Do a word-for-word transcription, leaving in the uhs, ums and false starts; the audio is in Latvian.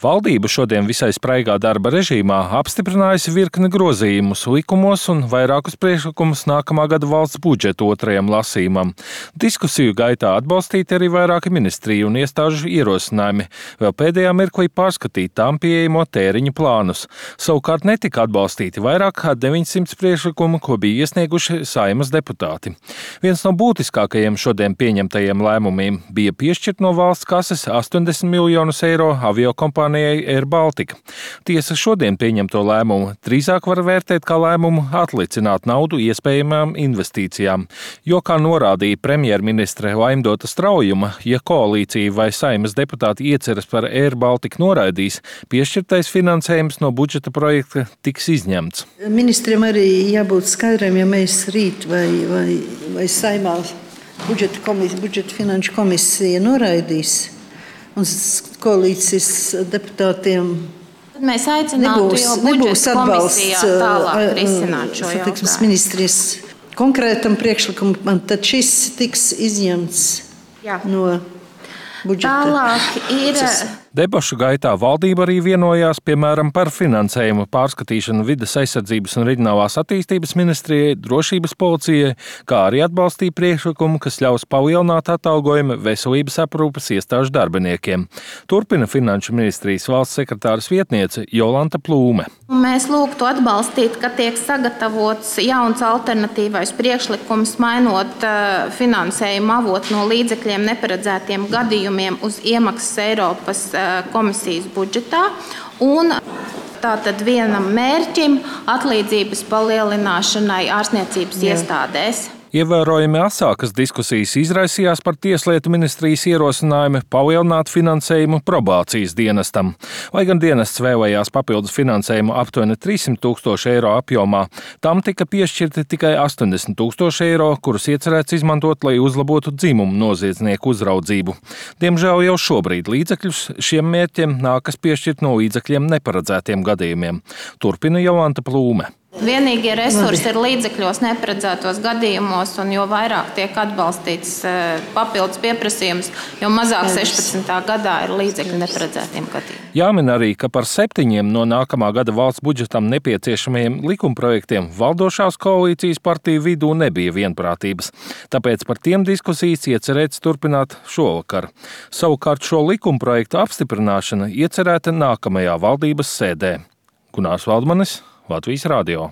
Valdība šodien visai spraigā darba režīmā apstiprinājusi virkni grozījumus likumos un vairākus priekšlikumus nākamā gada valsts budžeta otrajam lasījumam. Diskusiju gaitā atbalstīti arī vairāki ministriju un iestāžu ierosinājumi, vēl pēdējā mirklī pārskatīt tām pieejamo tēriņu plānus. Savukārt netika atbalstīti vairāk kā deviņsimt priekšlikumu, ko bija iesnieguši Saeimas deputāti. Viens no būtiskākajiem šodien pieņemtajiem lēmumiem bija piešķirt no valsts kases astoņdesmit miljonus eiro aviokompānijai Air Baltica. Tiesa šodien pieņemto lēmumu drīzāk var vērtēt kā lēmumu atlicināt naudu iespējamām investīcijām, jo, kā norādīja premjerministre Laimdota Straujuma, ja koalīcija vai Saeimas deputāti ieceras par Air Baltica noraidīs, piešķirtais finansējums no budžeta projekta tiks izņemts. Ministriem arī jābūt skaidriem, ja mēs rīt vai, vai, vai Saeimā budžeta, komis, budžeta finanšu komisija noraidīs un koalīcijas deputātiem Tad mēs aicinātu nebūs, jau nebūs atbalsts tālāk risināt šo satiksmes jautājumu. Ministrijas konkrētam priekšlikumam, tad šis tiks izņemts Jā. no budžeta. Tālāk ir... Debašu gaitā valdība arī vienojās, piemēram, par finansējumu pārskatīšanu vides aizsardzības un reģionālās attīstības ministrijai, drošības policijai, kā arī atbalstīja priekšlikumu, kas ļaus palielināt atalgojumu veselības aprūpes iestāžu darbiniekiem. Turpina Finanšu ministrijas valsts sekretāras vietniece Jolanta Plūme. Mēs lūgtu atbalstīt, ka tiek sagatavots jauns alternatīvais priekšlikums, mainot uh, finansējumu avotu no līdzekļiem neparedzētiem gadījumiem uz iemaksas Eiropas uh, komisijas budžetā un tātad vienam mērķim atlīdzības palielināšanai ārstniecības Jā. iestādēs. Ievērojami asākas diskusijas izraisījās par Tieslietu ministrijas ierosinājumu palielināt finansējumu probācijas dienestam. Lai gan dienests vēlējās papildus finansējumu aptuveni trīssimt tūkstoši eiro apjomā, tam tika piešķirti tikai astoņdesmit tūkstoši eiro, kurus iecerēts izmantot, lai uzlabotu dzimumu noziedznieku uzraudzību. Diemžēl jau šobrīd līdzekļus šiem mērķiem nākas piešķirt no līdzekļiem neparedzētiem gadījumiem. Turpina Jolanta Plūme. Vienīgie resursi ir līdzekļos neparedzētos gadījumos, un jo vairāk tiek atbalstīts papildus pieprasījums, jo mazāk sešpadsmitā gadā ir līdzekļi neparedzētiem gadījumiem. Jāmin arī, ka par septiņiem no nākamā gada valsts budžetam nepieciešamajiem likumprojektiem valdošās koalīcijas partiju vidū nebija vienprātības. Tāpēc par tiem diskusijas iecerēts turpināt šovakar. Savukārt šo likumprojektu apstiprināšana iecerēta nākamajā valdības sēdē. Gunārs Valdmanis, Latvijas radio.